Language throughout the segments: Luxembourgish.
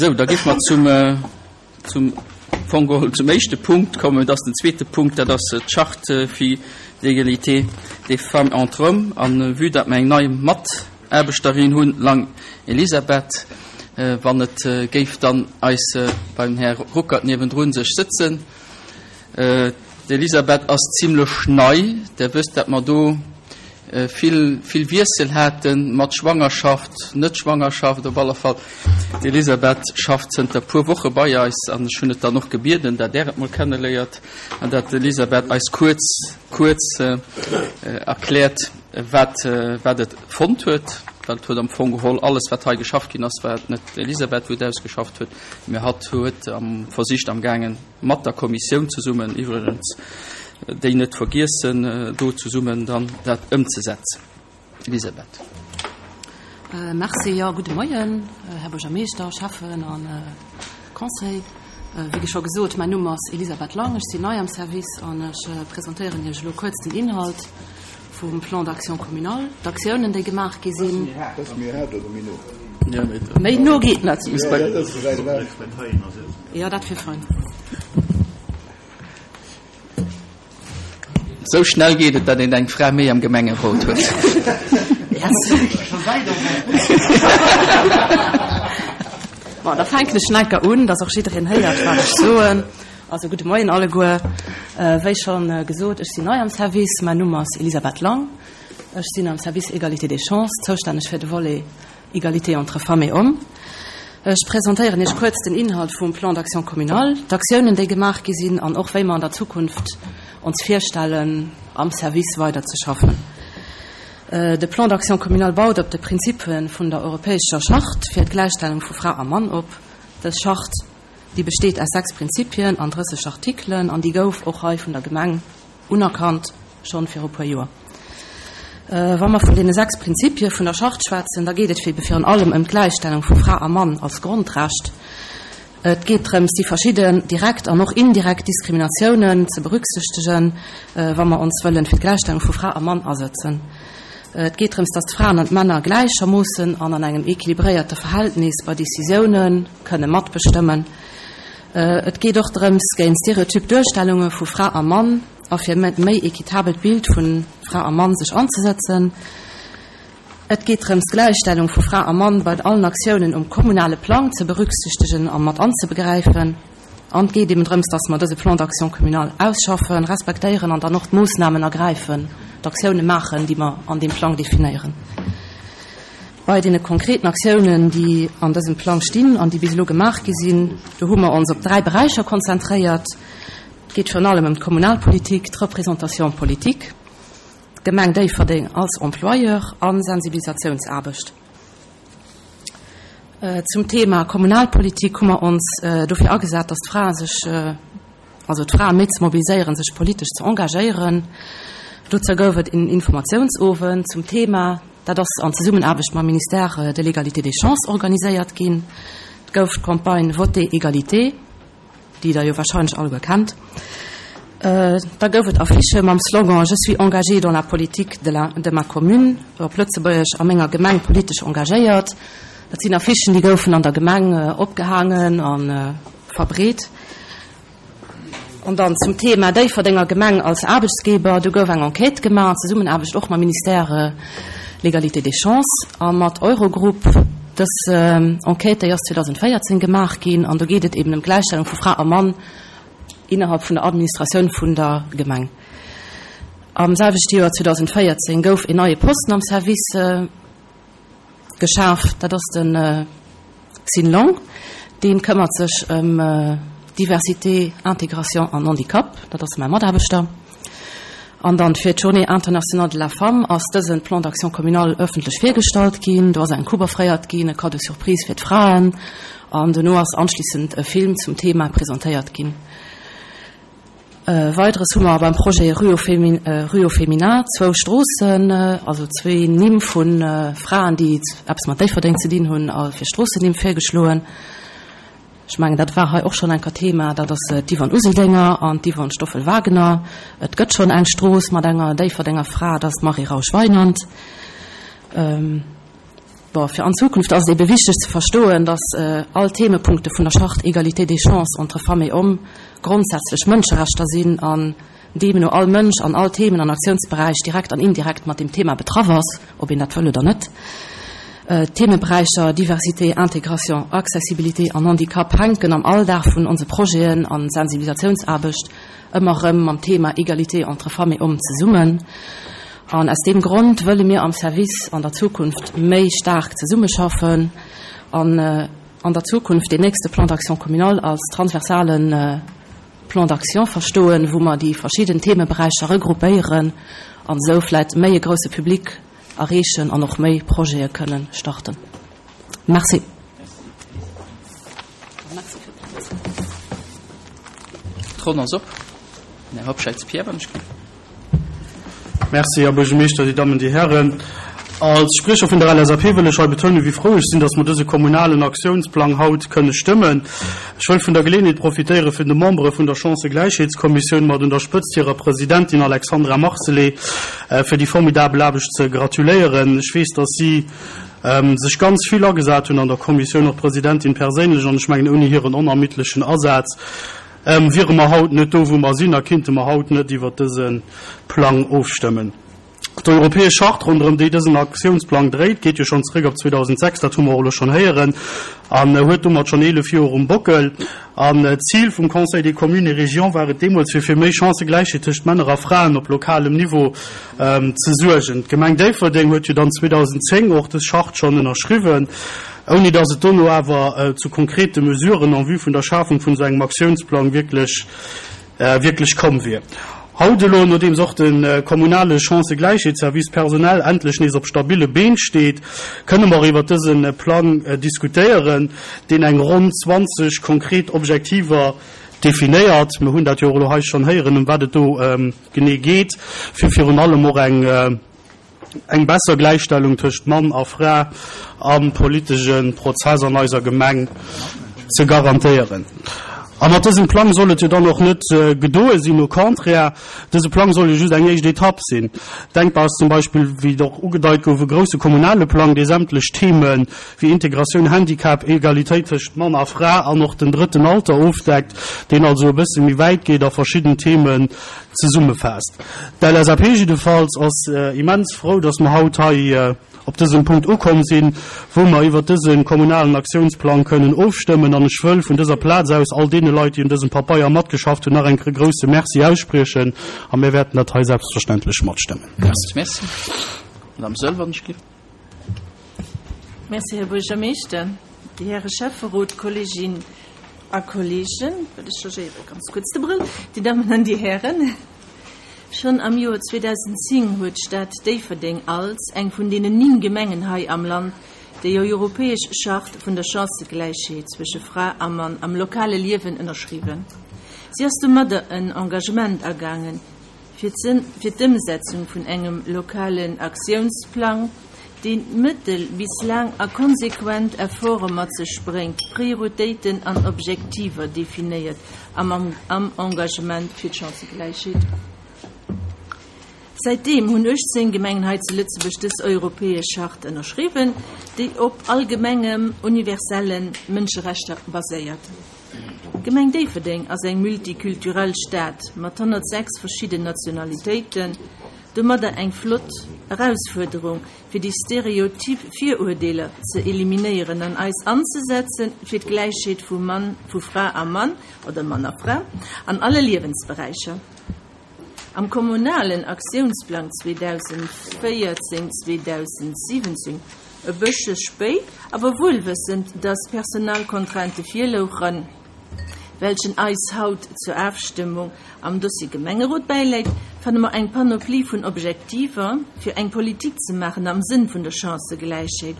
Sou, da géife mer zum, zum Fong geholl zum éischte Punkt kommen. Dat ass den zweete Punkt, dat ass d'Charte fir d'égalité des femmes entre hommes. An vue datt mer eng nei Mataarbechterin hunn, Lang Elisabeth, wann et géif dann eis beim Här Ruckert niewendrun sech sëtzen. D'Elisabeth ass zimlech nei. Der wësst, datt mer do vill, vill Wiessel haten, mat Schwangerschaft, Net-Schwangerschaft. Op alle Fall, d'Elisabeth schafft zënter puer Woche bei eis an ech hunn et dann och gebieden, datt Der et mol kenneléiert an datt d'Elisabeth eis kuerz, kuerz erkläert, wat, wat et fonnt huet. Well et huet am Fong geholl alles, wat hei geschafft ginn ass, war et net d'Elisabeth, wou et ausgeschafft huet, mä hatt huet am versicht amgaangen, mat der Kommissioun zesummen iwwregens, déi net vergiessen, do zesummen dann dat ëmzesetzen. Elisabeth. Merci. Jo, gudde Moien, Här Buergermeeschter, Schäffen a Conseil. Wéi scho gesot, mäin Numm ass Elisabeth Lang, ech sinn nei am Service an ech presentéieren Iech elo kuerz den Inhalt vum Plan d'action communal, d'Aktiounen, déi gemaach gi sinn. Méi no geet net. Jo, dat wier fein. Sou schnell geet et, datt een eng Fra méi am Gemengerot huet. Bon, da fänken ech enker un, datt och jiddereen héiert, wat ech soen. Also, gudde Moien alleguer. Wéi scho gesot, ech sinn nei am Service. Mäin Numm ass Elisabeth Lang. Ech sinn am Service Égalité des chances zoustänneg fir de Volet Égalité entre femmes et hommes. Ech presentéieren Iech kuerz den Inhalt vum Plan d'action communal, d'Aktiounen, déi gemaach gi sinn an och wéi mer an der Zukunft ons virstellen, am Service weiderzeschaffen. De Plan d'action communal baut op de Prinzippe vun der Europäescher Charte fir d'Gläichstellung vu Fra a Mann op. Dës Charte, déi besteet aus 6 Prinzipien an 30 Artikelen an déi gouf och hei vun der Gemeng Unerkannt schonn viru puer Joer. Wa mer vun deene 6 Prinzipie vun der Charte schwätzen, da geet et ebe virun allem ëm d'Gläichstellung vu Fra a Mann als Grondrecht. Et geet drëms, déi verschidden direkt an och indirekt Diskriminatiounen ze berücksichtegen, wa mer ons wëllen fir d'Gläichstellung vu Fra a Mann asëtzen. Et geet drëms, dass d'Fraen an d'Männer gläichermoossen an an engem équilibréierte Verhältnis bei Décisioune kënne matbestëmmen. Et geet och drëms, géint stereotyp Duerstellunge vu Fra a Mann a fir e méi equitabelt Bild vu Fra a Mann sech anzesëtzen. Et geet drëms, d'Gläichstellung vu Fra a Mann bei allen Aktiounen um kommunale Plang ze berücksichtegen a mat anzebegräifen. An et geet eben drëms, dass mer dëse Plan d'action communal ausschaffen, respektéieren an dann och d'Moossnamen ergräifen, d'Aktioune maachen, déi mer an deem Plang definéieren. Bei deene konkreten Aktiounen, déi an dësem Plang stinn an déi bis elo gemaach gi sinn, do hu mer ons op dräi Beräicher konzentréiert. Et geet virun allem ëm d'Kommunalpolitik, d'Représentation politique, d'Gemeng Déifferdeng als Employeur a Sensibilisatiounsaarbecht. Zum Thema Kommunalpolitik hu mer ons dofir agesat, dass d'Frae sech, also d'Frae méi ze mobiliséieren, sech politesch ze engagéieren. Dozou gouf et en Informatiounsowend zum Thema. Dat ass an Zesummenaarbecht mam Ministère de l'Égalité des chances organiséiert ginn. Et gouf d'Campagne Votez Égalité, déi Der jo warscheinlech alleguer kennt. Da gouf et Affichë mam Slogan Je suis engagée dans la politique de la de ma commune, op Lëtzebuergesch, A menger Gemeng politesch engagéiert. Dat sinn Affichen, déi goufen an der Gemeng opgehaangen a verbreet. An dann zum Thema Déifferdenger Gemeng als Aarbechtsgeber, do gouf eng Enquête gemaach an Zesummenaarbecht och mam Ministère l'Égalité des chances a mat Eurogroup. Dës Enquête, déi ass 2014 gemaach ginn an do geet et eben ëm d'Gläichstellung vu Fra a Mann innerhalb vun der Administratioun vun der Gemeng. Am selwechte Joer 2014 gouf een neie Posten am Service Geschaf, dat ass de Xin Long. Dee këmmert sech ëm Diversité, Intégration an Handicap. Dat ass mäi Mataarbechter. An dann fir d'Journée internationale de la femme ass dëse Plan d'action communal ëffentlech virgestallt ginn. Do ass eng Coupe offréiert ginn, e Cadeau surprise fir d'Fraen. An dono ass anschlissend e Film zum Thema presentéiert ginn. Weideres hu mer beim Projet Rue au Féminin zwou Stroossen, also zwee Nimm vu Fraen, déi eppes mat Déifferdeng ze dinn hunn, fir Stroossennimm virgeschloen. Ech mengen, dat war hei och schonn eng Kéier Thema. Dat ass d'Yvonne Useldinger an d'Yvonne Stoffel-Wagener. Et gëtt schonn eng Strooss mat enger Déifferdenger Fra, dat ass d'Marie Rausch-Weinand. Bon, fir an Zukunft ass et ebe wichteg ze verstoen, dass all Themepunkte vun der Charte Égalité des chances entre femmes et hommes grondsätzlech Mënscherechter sinn an deemno all Mënsch an all Themen an Aktiounsberäich direkt an indirekt mat deem Thema betraff ass, ob een dat wëll oder net. D'Themeberäicher Diversité, Intégration, Accessibilité an Handicap hänken am Alldag vun onse Projeten an Sensibilisatiounsaarbecht ëmmer erëm mam Thema Égalité entre femmes et hommes zesummen. An aus deem Grond wëlle mir am Service an der Zukunft méi staark zesummeschaffen an an der Zukunft deen nächste Plan d'action communal als transversale Plan d'action verstoen, wou mer déi verschidden Themeberäicher regroupéieren an esou vläicht méi e grousse Public erreechen an och méi Projete kënnen starten. Merci. D'Ronn ass op. Här Hobscheit Pierre, wann ech. Merci, Här Buergermeeschter, Dir Dammen, Dir Hären. Als Spriecher vun der LSAP wëll ech hei betounen, wéi frou ech sinn, dass mer dëse kommunalen Aktiounsplang haut kënne stëmmen. Ech wëll vun der Geleeënheet profitéieren, fir de Membere vun der Chancëgläichheetskommissioun, mat un der Spëtzt hirer Presidentin Alexandra Marcelet, fir déi formidabel Aarbecht ze gratuléieren. Ech weess, dass si sech ganz vill agesat hunn an der Kommissioun, och d'Presidentin perséinlech, an ech mengen, ouni hiren onermiddlechen Asaz wiere mer haut net do, wou mer sinn, a kinnte mer haut net iwwert dëse Plang ofstëmmen. D'Europäesch Charte, ronderëm déi dësen Aktiounsplang dréit, geet jo schonn zeréck op 2006, dat hu mer och elo schonn héieren, an huet domat schonn 11 Joer um Bockel. An d'Zil vum Conseil des communes et régions war et deemools, fir fir méi Chancëgläichheet tëscht Männer a Fraen op lokalem Niveau ze suergen. D'Gemeng Déifferdeng huet jo dann 2010 och dës Charte schonn ënnerschriwwen, ouni datt et dono awer zu konkrete Mesuren en vue vun der Schafung vun esou engem Aktiounsplang wierklech wierklech komm wier. Haut elo, nodeems och de kommunale Chancëgläichheetsservice personell endlech nees op stabille Been steet, kënne mer iwwer dëse Plang diskutéieren, deen eng ronn 20 konkret Objektiver definéiert. Mir hunn dat jo och elo hei schonn héieren, ëm wat et do genee geet, fir virun allem och eng Eng besser Gläichstellung tëscht Mann a Fra am politesche Prozess an eiser Gemeng ze garantéieren. A mat dësem Plang soll et jo dann och net gedoe sinn, au contraire, dëse Plang soll jo just eng éischt Etapp sinn. Denkbar ass zum Beispill, wéi et och ugedeit gouf, e grousse kommunale Plang, dee sämtlech Theme wéi Integratioun, Handicap, Egalitéit tëscht Mann a Fra an och den drëtten Alter ofdeckt, deen also e bësse méi wäit geet a verschidden Themen Zesummefaasst. D'LSAP jiddefalls ass immens frou, dass mer haut hei op dësem Punkt ukomm sinn, wou mer iwwert dëse kommunalen Aktiounsplang kënnen ofstëmmen. An ech wëll vun dëser Plaz aus all deene Leit, déi un dësem Papeier matgeschafft hunn, nach eng Kéier e grouse Merci ausspriechen. A mir wäerten dat hei selbstverständlech matstëmmen. Merci. Merci. Madame Soell, wann ech giff. Merci, Här Buergermeeschter, Dir Häre Schäfferot, Kolleeginnen a Kolleegen, ech changéiere ganz kuerz de Brëll, Dir Dammen an Dir Hären. Schonn am Joer 2010 huet d'Stad Déifferdeng als eng vun deenen 9 Gemengen hei am Land déi europäesch Charte vun der Chancëgläichheet zwësche Fra a Mann am lokale Liewen ënnerschriwwen. Si ass domadder en Engagement agaangen, fir d'Ëmsetzung vun engem lokalen Aktiounsplang, deen mëttel bis laang a konsequent Efforte mat sech bréngt, Prioritéiten an Objektiver definéiert am am Engagement fir d'Chancëgläichheet. Säitdeem hunn 18 Gemengen hei zu Lëtzebuerg dës europäesch Charte ënnerschriwwen, déi op allgemengem universelle Mënscherechter baséiert. D'Gemeng Déifferdeng ass eng multikulturell Stad mat 106 verschidden Nationalitéiten, domadder eng flott Erausfuerderung, fir déi stereotyp Viruerdeeler ze eliminéieren an eis anzesetze fir d'Gläichheet vu Mann, vu Fra a Mann oder Mann a Fra an alle Liewensberäicher. Am kommunalen Aktiounsplang 2014, 2017, e bëssche spéit, awer wuelwëssend, dass Personalcontrainte virlouchen, welchen eis haut zur Afstëmmung am Dossier Gemengerot bäiläit, fanne mer eng Panoplie vun Objektiver, fir eng Politik ze maachen am Sënn vun der Chancëgläichheet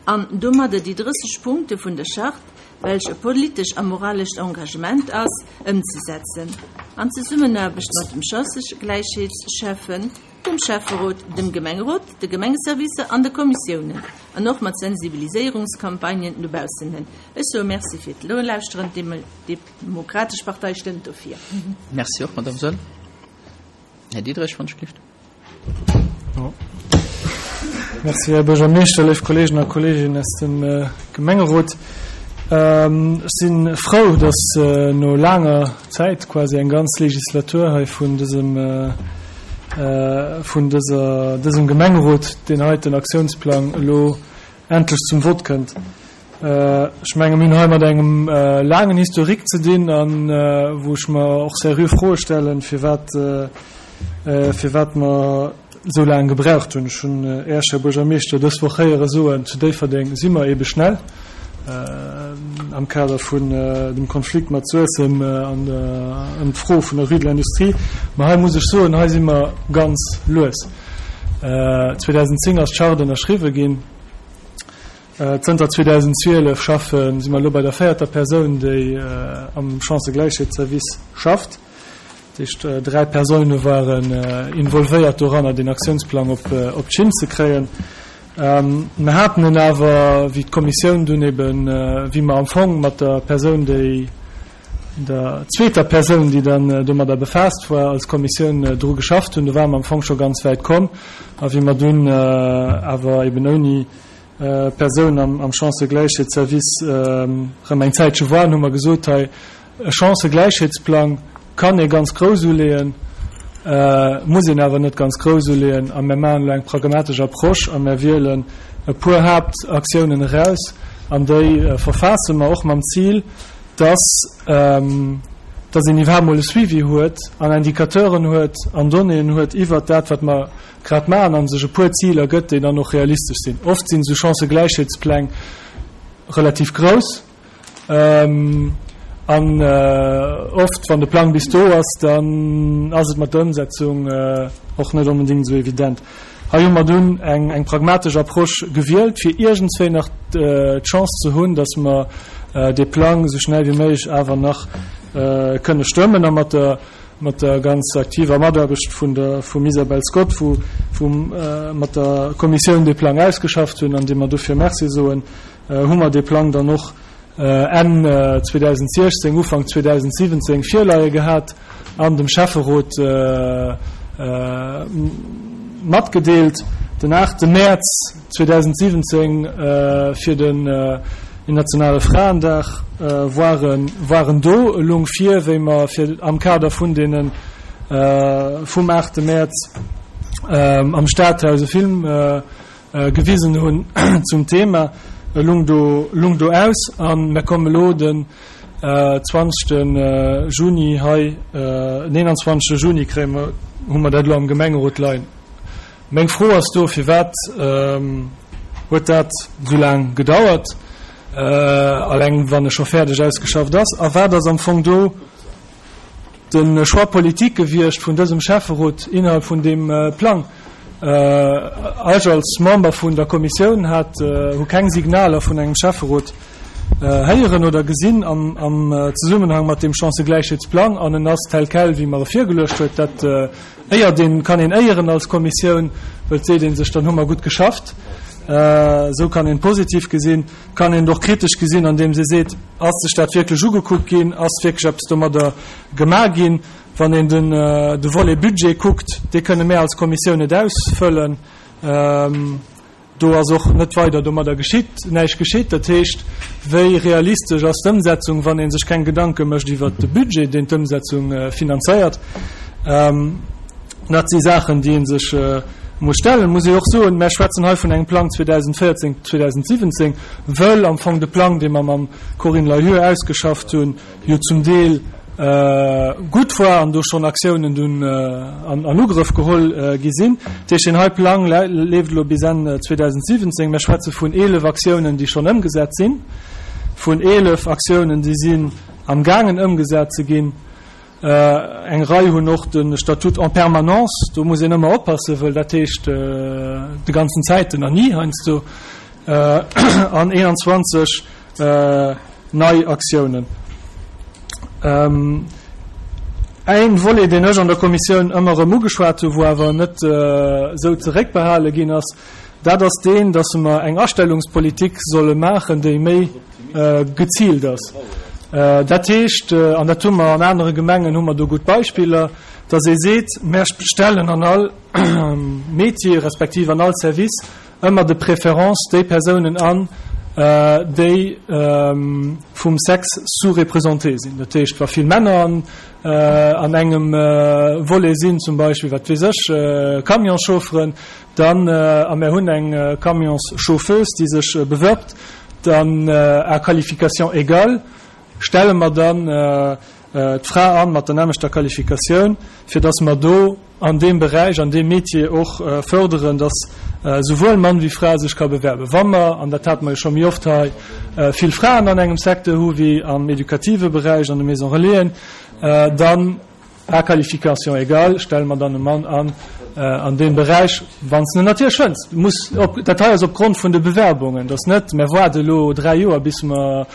an domadder déi 30 Punkte vun der Charte, welch e politesch a moralescht Engagement ass, ëmzesetzen, an Zesummenaarbecht mat dem Chancëgläichheetsschäffen, dem Schäfferot, dem Gemengerot, de Gemengeservicer an de Kommissiounen, an och mat Sensibiliséierungscampagnen no baussen hin. Ech soe Merci fir d'Nolauschteren. D'Demokratesch Partei stëmmt dofir. Merci och, Madame Soll. Här Diderich, wann ech gelift. Merci, Här Buergermeeschter, léif Kolleegen a Kolleeginnen aus dem Gemengerot. Ech si frou, dass no laanger Zäit, quasi eng ganz Legislatur hei vun dësem, vun dëser, dësem Gemengerot, deen heiten Aktiounsplang elo endlech zum Vott kënnt. Ech menge mir hunn hei mat engem laangen Historique ze dinn a wou ech mer och seriö Froe stellen, firwat, firwat mer esou laang gebraucht hunn. Ech hunn Äech, Här Buergermeeschter, dës Woch héiere soen, zu Déifferdeng si mer eebe schnell am Kader vun dem Konflikt mat Suessem an ëm d'Fro vun der Rue de l'Industrie. Mä hei muss ech soen, hei si mer ganz lues. 2010 ass d'Charte ënnerschriwwe ginn. Zënter 2012 schaffen, si mer elo bei der véierter Persoun, déi am Chancëgläichheetsservice schafft. Dat heescht, 3 Persoune waren involvéiert doranner, deen Aktiounsplang op d'Schinn ze kréien. Mer haten en awer, wéi d'Kommissioun dunn eben, wéi mer am Fong mat der Persoun, déi, der zweeter Persoun, déi dann domadder befaasst war, als Kommissioun dru geschafft hunn, do ware mer am Fong scho ganz wäit komm. A wéi mer dunn awer eben ouni Persoun am Chancëgläichheetsservice erëm eng Zäitche waren, hu mer gesot, hei e Chancëgläichheetsplang kann ee ganz grouss uleeën, muss een awer net ganz grouss uleeën a mir maachen elo eng pragmatesch Approche a mir wielen e puer Haaptaktiounen eraus an déi verfaasse mer och mam Zil, dass dass een iwwerhaapt mol e Suivi huet an Indicateuren huet an Donnéeën huet iwwert dat, wat mer grad maachen a sech e puer Ziler gëtt, déi dann och realistesch sinn. Oft sinn esou Chancëgläichheetspläng relativ grouss an oft, wann de Plang bis do ass, dann ass et mat der Ëmsetzung och net onbedéngt esou evident. Hei hu mer dunn eng pragmatesch Approche gewielt, fir iergendswéi nach d'Chance ze hunn, dass mer dee Plang esou schnell wéi méiglech awer nach kënne stëmmen a mat der mat der ganz aktiver Mataarbecht vun der vum Isabel Scott, wou wou mat der Kommissioun dee Plang ausgeschafft hunn an deem mer dofir Merci soen, hu mer dee Plang dann och Enn 2016, Ufank 2017 virleie gehat an dem Schäfferot matgedeelt. Den 8 Mäerz 2017 fir den internationale Fraendag waren waren do e lung vir, wéi mer fir am Kader vun deene vum 8 Mäerz am Stadhaus e Film gewisen hunn zum Thema. E lung do lung do aus a mer kommen elo den 20 Juni hei, den 21 Juni kréie mer hu mer dat elo am Gemengerot leien. Meng Fro ass do, Firwat huet dat esou laang gedauert, alleng wann e scho fäerdeg ausgeschafft ass? A wat ass am Fong do de Choix politique gewiescht vun dësem Schäfferot innerhalb vun deem Plang? Ech als Member vun der Kommissioun hat, hu keng Signaler vun engem Schäfferot héieren oder gesinn am Zesummenhang mat deem Chancëgläichheetsplang, an en ass tel quel, wéi mer e virgeluecht huet. Dat Éiert een, kann een éieren als Kommissioun, wëll et seet ee sech, dann hu mer gutt geschafft. Esou kann een positiv gesinn. Kann een et och kritesch gesinn, andeems ee seet, ass sech dat wierklech ugekuckt ginn, ass wierklech eppes domadder gemaach ginn? Wann een de Volet Budget kuckt, dee kënne mär als Kommissioun net ausfëllen. Do ass och net weider domadder geschitt, näischt geschitt. Dat heescht, wéi realistesch ass d'Ëmsetzung, wann ee sech keng Gedanke mécht iwwert de Budget, deen d'Ëmsetzung finanzéiert? Dat si Saachen, déi ee sech muss stellen. Muss ee och soen, mär schwätzen hei vun engem Plang 2014, 2017, wëll am Fong de Plang, dee mer mam Corinne Lahure ausgeschafft hunn, jo zum Deel gutt war an do schonn Aktiounen dunn an Ugrëff geholl gi sinn. Dat heescht, deen hei Plang leeft elo bis Enn 2017. Mir schwätze vun 11 Aktiounen, déi schonn ëmgesat sinn, vun 11 Aktiounen, déi sinn amgaangen ëmgesat ze ginn. Eng Rei hunn och de Statut en permanence. Do muss een ëmmer oppassen, wëll dat heescht de ganzen Zäiten an ni heiansdo. An 21 nei Aktiounen. Een Volet, deen ech an der Kommissioun ëmmer erëm ugeschwat hunn, wou awer net esou zeréckbehale ginn ass, dat ass deen, dass mer eng Astellungspolitik solle maachen, déi méi geziilt ass. Dat heescht, an dat hu mer an anere Gemengen, hu mer do gutt Beispiller, dass ee seet, Mer stellen an all Métier respektiv an all Service. ëmmer de préférence déi Persounen an, déi vum Sexe sous-représenté sinn. Dat heescht, wa vill Männer an an engem Volet sinn, zum Beispill, wat weess ech, Camionschaufferen, dann, a mär hunn eng Camionschauffeuse, déi sech bewirbt, dann à qualification égale stelle mer dann d'Fra an mat der nämmlechter Qualifikatioun, fir dass mer do an deem Beräich, an deem Métier och förderen, dass souwuel Mann wéi Fra sech ka bewerben. Wa mer, an dat hate mer jo scho méi oft hei, vill Fraen an engem Secteur hu wéi am edukative Beräich, an de Maisons Relaisen, dann à qualification égale stelle mer dann e Mann an an deem Beräich, wann s de en natierlech fënns. Muss op, dat hei ass opgrond vun de Bewerbungen, dass net, mer waarde elo dräi Joer bis mer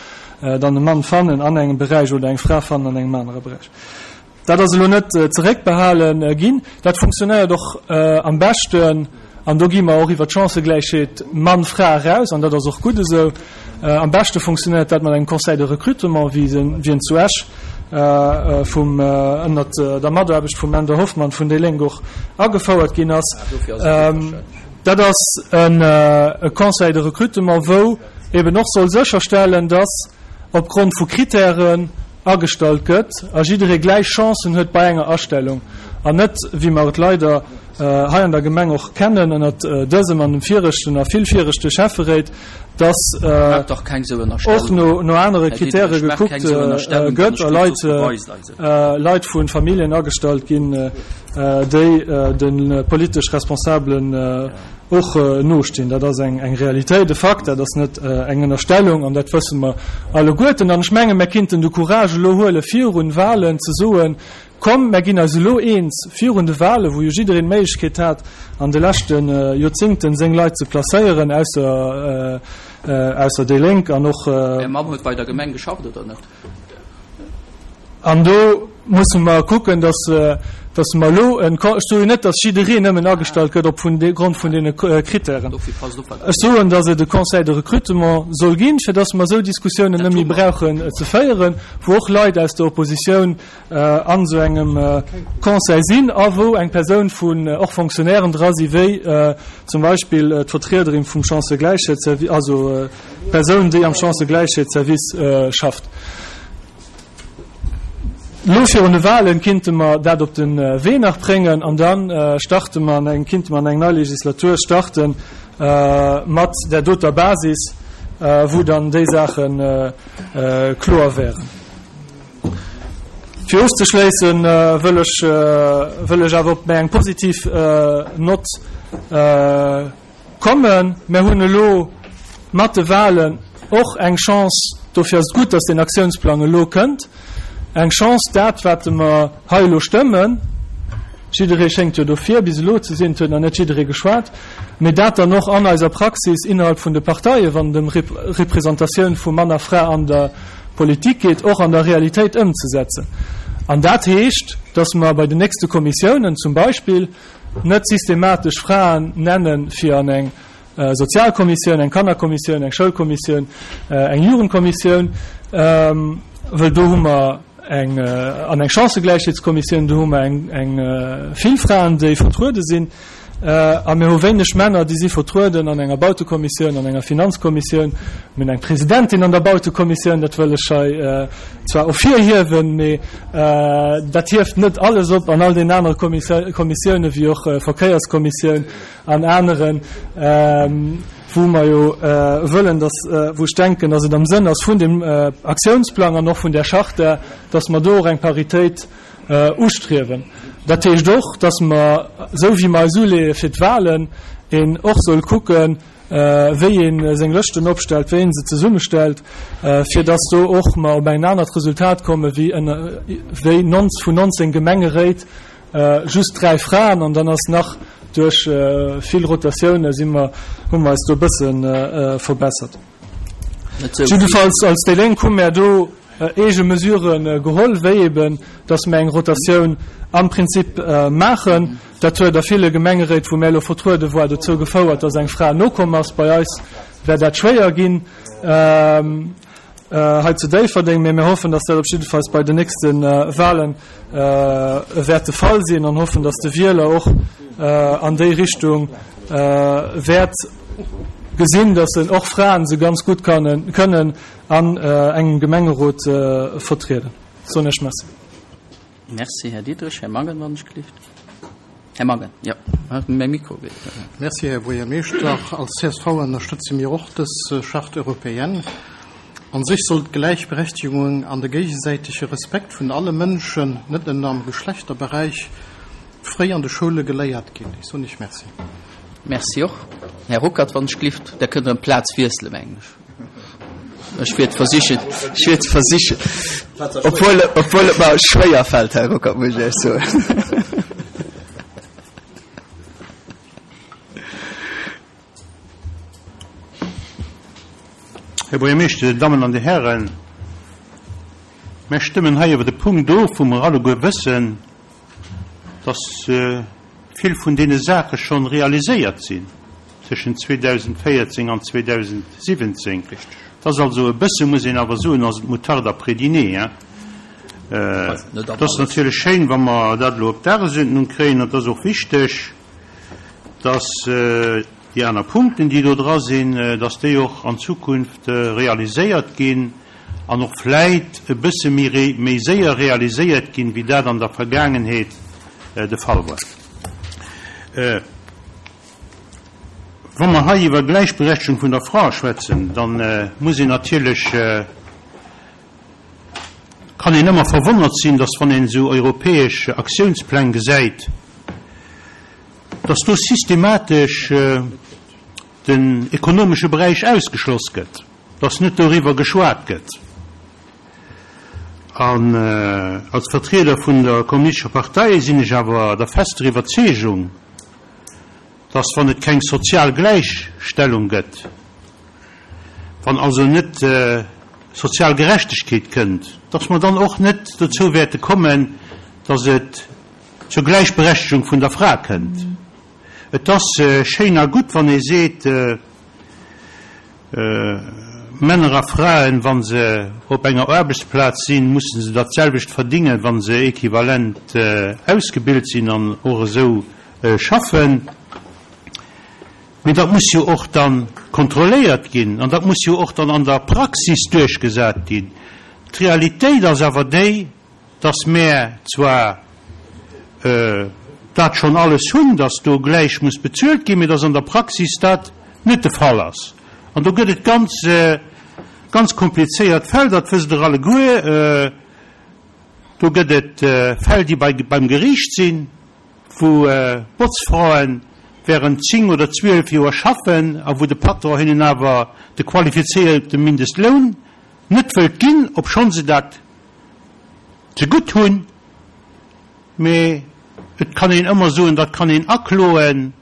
dann e Mann fannen an engem Beräich oder eng Fra fannen an engem anere Beräich. Dat ass elo net zeréckbehale ginn. Dat funktionéiert och am beschten, an do gi mer och iwwer d'Chancëgläichheet Mann-Fra eraus, an dat ass och gutt esou, am beschte funktionéiert dat mat engem Conseil de recrutement, wéi en zu Esch vum, ënnert der Mataarbecht vum Änder Hoffmann vun déi Lénk och agefouert ginn ass. Dat ass e Conseil de recrutement, wou eben och soll sécherstellen, dass opgrond vu Kritären agestallt gëtt a jidderee gläich Chancen huet bei enger Astellung an net, wéi mer et leider hei an der Gemeng och kennen ënnert dësem an dem viregten a vill viregte Schäfferéit, dass och no anere Kritäre gekuckt gëtt a Leit Leit vu Familljen agestallt ginn, déi de politesch Responsabelen och nostinn. Dat ass eng Realitéit, e Fakt, dat ass net eng Ënnerstellung an dat wësse mer alleguerten. An ech menge mer kinnten de Courage elo huele virun Wahlen ze soen, Komm, mer ginn eis elo eens virun de Wahlen, wou jo jiddereen d'Méiglechkeet hat an de leschte Joerzingten seng Leit ze placéieren, ausser ausser déi Lénk an och. Är Mamm huet bei der Gemeng geschafft, oder net? An do musse mer kucken, dass, dass mer elo en, ech soen jo net, dass jiddereen nëmmen agestallt gëtt op vun de Grond vun deene Kritären. Ech soen, dass et e Conseil de recrutement soll ginn, fir dass mer esou Diskussiounen net méi brauchen ze féieren, wou och Leit aus der Oppositioun an esou engem Conseil sinn a wou eng Persoun vun och Fonctionnairen dra si wéi zum Beispill d'Vertriederin vum Chancëgläichheetsservice, also Persoun, déi am Chancëgläichheetsservice schafft. Elo virun de Wahlen kinnte mer dat op de Wee nach bréngen an da starte mer an eng, kinnte mer an eng nei Legislatur starte mat där doter Basis, wou dann déi Saache kloer wären. Fir ofzeschléisse wëll ech, wëll ech awer op méi eng positiv Nott Kommen. Mär hunn elo mat de Wahlen och eng Chance, dofir ass et gutt, dass deen Aktiounsplang elo kënnt, eng Chance, dat, wat mer hei elo stëmmen, jidderee schéngt jo dofir bis elo ze sinn, et huet nach net jidderee geschwat, mee dat dann och an eiser Praxis innerhalb vun de Parteien, wann et ëm Representatioun vu Mann a Fra an der Politik geet, och an der Realitéit ëmzesetzen. An dat heescht, dass mer bei den nächste Kommissiounen zum Beispill, Net systematesch Fraen nennen fir an eng Sozialkommissioun, eng Kannerkommissioun, eng Schoulkommissioun, eng Jugendkommissioun, wëll do hu mer eng, an eng Chancëgläichheetskommissioun, do hu mer eng, eng vill Fraen, déi vertruede sinn, a mir hu wéineg Männer, déi si vertrueden an enger Bautekommissioun, an enger Finanzkommissioun. Mir hunn eng Presidentin an der Bautekommissioun, dat wëll ech hei zwar ervirhiewen, mee dat hieft net alles op an all deenen anere Kommissiounen, wéi och Verkéierskommissioun an aneren, wou mer jo wëllen, dass, wou ech denken, dass et am Sënn ass vun dem Aktiounsplang an och vun där Charta, dass mer do och eng Paritéit ustriewen. Dat heescht och, dass mer, esou wéi mer eis uleeë fir d'Wahlen, een och soll kucken, wéi ee seng Lëschten opstellt, wéi ee se zesummestellt, fir dass do och mer op en anert Resultat komme wéi ënner, wéi vun 19 Gemengeréit just 3 Fraen. An dann ass nach duerch vill Rotatioune si mer, hu mer eis do e bësse verbessert. Jiddefalls als déi Lénk hu mär do eege Mesurë geholl, wéi eben, dass mär eng Rotatioun am Prinzip maachen. Dat huet a ville Gemengeréit, wou mär elo vertruede war, dozou gefouert, dass eng Fra nokomm ass. Bei eis wär dat schwéier ginn hei zu Déifferdeng, mee mir hoffen, dass dat op jiddefalls bei den nächste Wahlen wäert de Fall sinn an hoffen, dass de Wieler och an déi Richtung wäert. gesinn, dass en och Fraen se ganz gutt kënnen an engem Gemengerot vertrieden. Soen ech Merci. Merci, Här Diderich. Här Mangen, wann ech gelift. Här Mangen, jo, mäi Mikro geet. Merci, Här Buergermeeschter. Als csv ënnerstëtze mir och dës Charte européenne. An sech soll d'Gläichberechtigung an de géigesäitege Respekt vun alle Mënschen, net nëmmen am Geschlechterberäich, fréi an de Schoule geléiert ginn. Ech soen Iech Merci. Merci och. Här Ruckert, wann ech gelift, Der kënnt erëm d'Plaz wiesselen, mengen ech. Ech wäert versichen, ech wäert versichen, obwuel, obwuel et mer schwéier fält, Här Ruckert, muss ech Iech soen. Här Buergermeeschter, Dir Dammen an Dir Hären, mär stëmmen hei iwwer e Punkt of, wou mer alleguer wëssen, dass vill vun deene Saache schonn realiséiert sinn tëschent 2014 an 2017. Et ass also e bësse, muss een awer soen, ass et Moutarde après dîner, hein. Et ass natierlech schéin, wa mer dat elo op d'Dagesuerdnung kréien, an et ass och wichteg, dass déi aner Punkten, déi do dra sinn, dass déi och an Zukunft realiséiert ginn an och vläit e bësse méi méi séier realiséiert ginn, wéi dat an der Vergaangenheet de Fall war. Wa mer hei iwwer Gläichberechtegung vun der Fra schwätzen, da muss een natierlech, kann een ëmmer verwonnert sinn, dass wann een esou europäesch Aktiounspläng gesäit, dass do systematesch den ekonomesche Beräich ausgeschloss gëtt, dass net doriwwer geschwat gëtt. An als Vertrieder vun der Kommunistescher Partei sinn ech awer der fester Iwwerzeegung, dass wann et keng sozial Gläichstellung gëtt, wann also net sozial Gerechtegkeet kënnt, dass mer dann och net dozou wäerte kommen, dass et zur Gläichberechtegung vun der Fra kënnt. Et ass schéin a gutt, wann ee seet, Männer a Fraen, wa se op enger Aarbechtsplaz sinn, musse se dat selwecht verdingen, wa se equivalent ausgebilt sinn an och esou schaffen. Mee dat muss jo och da kontrolléiert ginn an dat muss jo och dann an der Praxis duerchgesat ginn. D'Realitéit ass awer déi, dass mär zwar dat schonn alles hunn, dass do gläich muss bezuelt ginn, mee dass an der Praxis dat net de Fall ass. An do gëtt et ganz, ganz komplizéiert Fäll, dat wësst Der alleguer. Do gëtt et Fäll, déi bei, beim Geriicht sinn, wou Botzfrae während 10 oder 12 Joer schaffen a wou de Patron hinnen awer de qualifizéierte Mindestloun net wëllt ginn, obschonn se dat zegutt hunn. Mee et kann een ëmmer soen, dat kann een akloen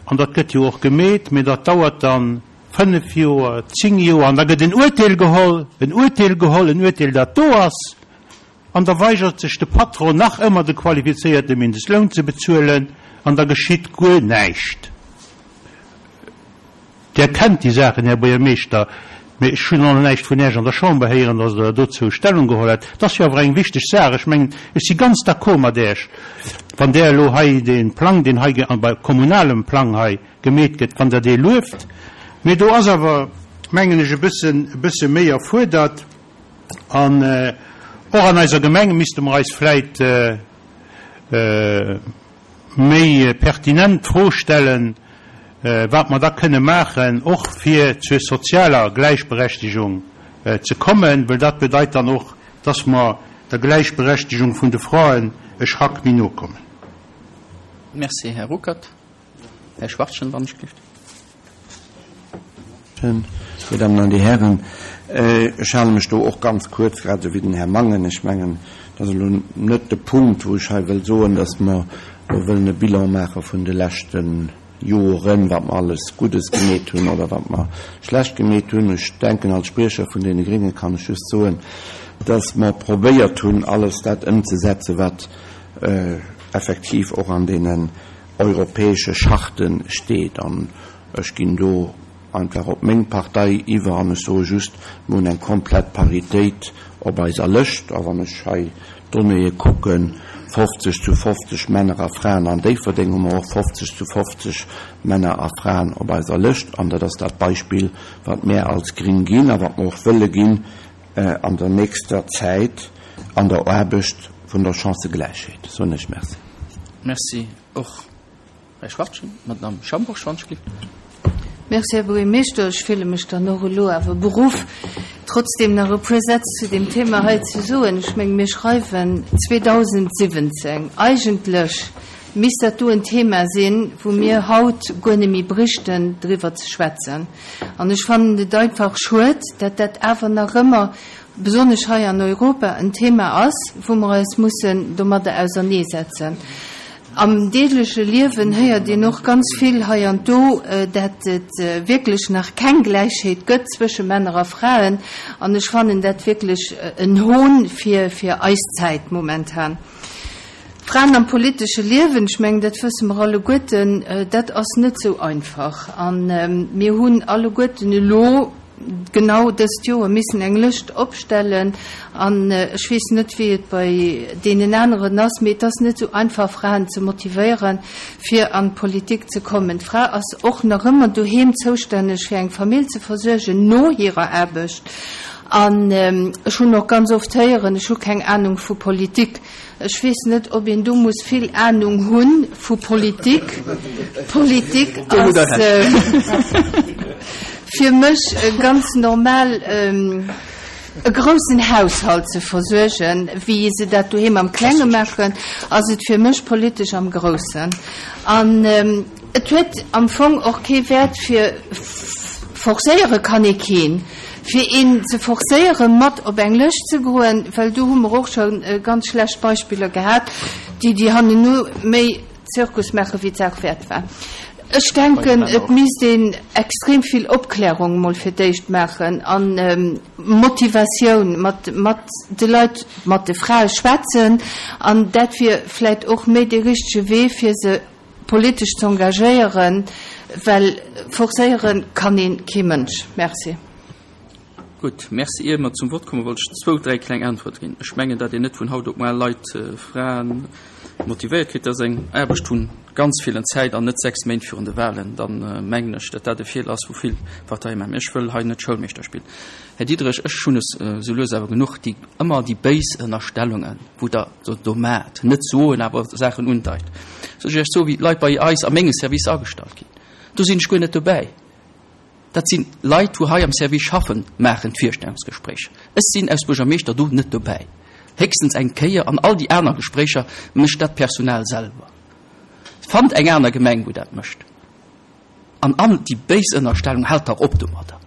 an dat gëtt jo och gemeet, mee dat dauert dann 5 Joer, 10 Joer an da gëtt en Uerteel geholl, en Uerteel geholl, en Uerteel dat do ass an da weigert sech de Patron nach ëmmer de qualifizéierte Mindestloun ze bezuelen an da geschitt guer näischt. Där kennt déi Saachen, Här Buergermeeschter, mee ech hunn nach näischt vun Äech an der Chamber héieren, datt Der dozou Stellung geholl hätt. Et ass jo awer eng wichteg Saach. Ech mengen, ech si ganz d'accord mat Äech, wann Der elo hei dee Plang, deen hei bei kommunalem Plang hei gemeet gëtt, wann Der dee lueft. Mee do ass awer, mengen ech, e bëssen, e bësse méi erfuerdert. An och an eiser Gemeng misste mer eis vläit méi pertinent d'Fro stellen, wat mer da kënne maachen, och fir zur sozialer Gläichberechtigung ze kommen, well dat bedeit dann och, dass mer der Gläichberechtigung vun de Fraen e Schrack méi no kommen. Merci, Här Ruckert. Här Schwachtgen, wann ech gelift. Dir Dammen an Dir Hären, ech hale mech do och ganz kuerz, grad esou wéi den Här Mangen. Ech mengen, dat ass elo net de Punkt, wou ech hei wëll soen, datt mer elo wëllen e Bilan maache vun de leschte Joren, wat mer alles Guddes gemeet hunn oder wat mer schlecht gemeet hunn. Ech denken, als Spriecher vun deene Grénge kann ech just soen, datt mer probéiert hunn, alles dat ëmzesetzen, wat effektiv och an deenen europäesche Charte steet. An ech ginn do einfach op meng Partei iwwer an ech soe just, mir hunn eng komplett Paritéit op eiser Lëscht. A wann ech hei d'Donnéeë kucken. 50 zu 50 Männer a Fraen an Déifferdeng, hu mer och 50 zu 50 Männer a Fraen op eiser Lëscht. An dat ass dat Beispill, wat mär als Gring ginn a wat mer och wëlle ginn an der nächster Zäit an der Aarbecht vun der Chancëgläichheet. Soen ech Merci. Merci och. Här Schwachtgen, Madame Schambourg, Schwanzschlitt. Merci, Här Buergermeeschter. Ech fille mech dann och elo awer beruff, trotzdem nach e puer Sätz zu deem Thema hei ze soen. Ech menge mir schreiwen 2017. Eigentlech misst dat do en Thema sinn, wou mir haut guer net méi bréichten driwwer ze schwätzen. An ech fannen et einfach schued, dat dat awer nach ëmmer, besonnesch hei an Europa, en Thema ass, wou mer eis mussen domadder auserneesetzen. Am deegleche Liewen héiert een och ganz vill hei an do, dat et wierklech nach keng Gläichheet gëtt zwësche Männer a Fraen. An ech fannen dat wierklech en Hohn fir fir eis Zäit momentan. Fraen am politesche Liewen, ech mengen, dat wësse mer alleguerten, dat ass net esou einfach. A mir hunn alleguerten elo, genau dëst Joer missen eng Lëscht opstellen an ech weess net, wéi et bei deenen aneren ass, mee et ass net esou einfach, Fraen ze motivéieren, fir an d'Politik ze kommen. D'Fra ass och nach ëmmer doheem zoustänneg, fir eng Famill ze versuergen no hirer Aarbecht. An ech hunn och ganz oft héieren, ech hu keng Anung vu Politik. Ech weess net, ob een do muss vill Ahnung hu vu Politik. Politik ass fir mech ganz normal, e groussen Haushalt ze versuergen. Wéi se dat doheem am Klenge maachen, ass et fir mech politesch am Groussen. An et huet am Fong och kee Wäert fir, forcéiere kann ee keen. Fir een ze forcéieren, mat op eng Lëscht ze goen, well do hu mer och scho ganz schlecht Beispiller gehat, déi déi hanneno méi Zirkus maache wéi d'Saach wäert war. Ech denken, et misst een extrem vill Opklärung emol fir d'éischt maachen a Motivatioun, mat mat de Leit, mat de Frae schwätzen an dat wier vläicht och méi dee richtege Wee fir se politesch z'engagéieren, well forcéiere kann ee kee Mënsch. Merci. Gutt, merci. Ier mer zum Vott kommen, wollt ech zwou, dräi kleng Äntwerte ginn. Ech mengen, datt een net vun haut op muar Leit, Fraen, motivéiert kritt. Dat ass eng Aarbecht vun ganz villen Zäit an net sechs Méint virun de Wahlen. Da mengen ech, datt dat e Feeler ass, wou vill Parteie maachen. Mee ech wëll hei net Schoulmeeschter spillen. Här Diderich, ech hunn es esou lues awer genuch, déi ëmmer déi béis Ënnerstellungen, wou Der do do maacht, net soen, awer Saachen undeit. Soll ech Iech soen, wéi d'Leit bei eis a menge Servicer agestallt ginn? Do sinn ech guer net dobäi. Dat sinn Leit, wou hei am Service schaffen, maachen d'Virstellungsgespréicher. Ech sinn aus Buergermeeschter do net dobäi. Héchstens eng Kéier, an all déi aner Gespréicher mécht dat Personal selwer. Fannt eng aner Gemeng, wou dat mécht. An all déi béis Ënnerstellung, haalt dach op domadder!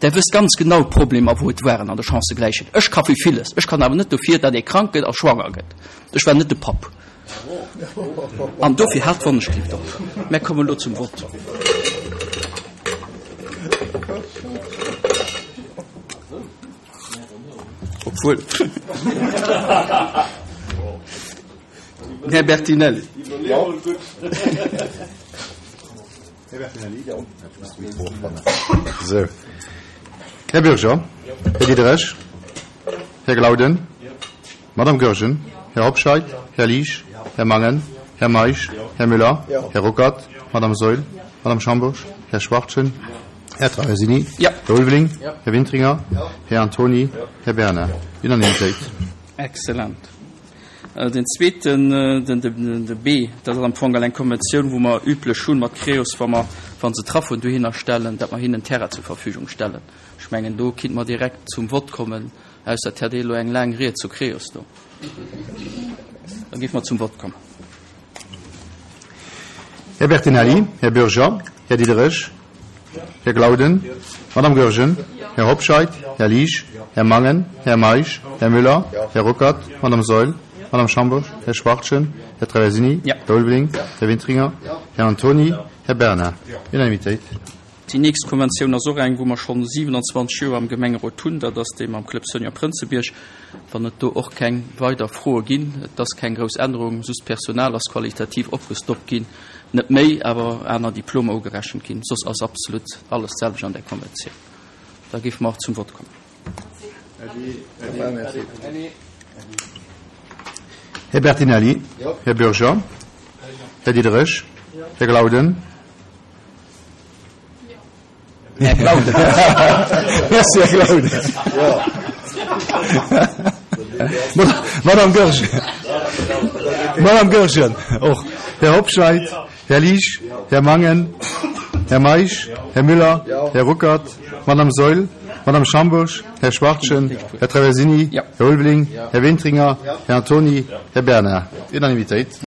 Der wësst ganz genau d'Problemer, wou et waren an der Chancëgläichheet. Ech ka fir villes, ech kann awer net dofir, datt ee krank gëtt a schwanger gëtt. Ech war net de Papp. An dofir haalt d'Wonneschlift op. Mär kommen elo zum Vott. Obwuel. Här Bertinelli. Här Bürger, Här Diderich, Här Glauden, Madame Goergen, Här Hobscheit, Här Liesch, Här Mangen, Här Meisch, Här Müller, Här Ruckert, Madame Saeul, Madame Schambourg, Här Schwachtgen, Här Traversini, Här Ulveling, Här Wintringer, Här Antoni, Här Bernard. Unanimitéit. Excellent. Den zweeten, den de B, dat ass am Fong eng Konventioun, wou mer üblech hunn mat Creos, wa mer, wa se Trafoen dohinner stellen, datt mer hinnen Terrain zur Verfügung stellen. Ech mengen, do kinnt mer direkt zum Vott kommen, ausser et hätt ee elo eng laang Ried zu Creos do. Da géife mer zum Vott kommen. Här Bertinelli, Här Bürger, Här Diderich, Här Glauden, Madame Goergen, Här Hobscheit, Här Liesch, Här Mangen, Här Meisch, Här Müller, Här Ruckert, Madame Saeul, Madame Schambourg, Här Schwachtgen, Här Traversini, Här Ulveling, Här Wintringer, Här Antoni, Här Bernard. Unanimitéit. Déi nächst Konventioun ass och eng, wou mer schonn 27 Joer am Gemengerot hunn. Dat ass déi mam Club Senior Prënzebierg. Wann et do och keng weider Froe ginn, et ass keng grouss Ännerung, just d'Personal ass qualitativ opgestockt ginn, net méi, awer aner Diplomer ugerechent ginn, soss ass absolut alles d'selwecht an där Konventioun. Da géife mer och zum Vott kommen. Här Bertinelli. Här Bürger. Här Diderich. Här Glauden. Här Glauden. Merci, Här Glauden. Madame Goergen. Madame Goergen och. Här Hobscheit. Här Liesch. Här Mangen. Här Meisch. Här Müller. Här Ruckert. Madame Saeul. Madame Schambourg. Här Schwartchen. Här Traversini. Här Ulveling. Här Wintringer. Här Antoni. Här Bernard. Unanimitéit.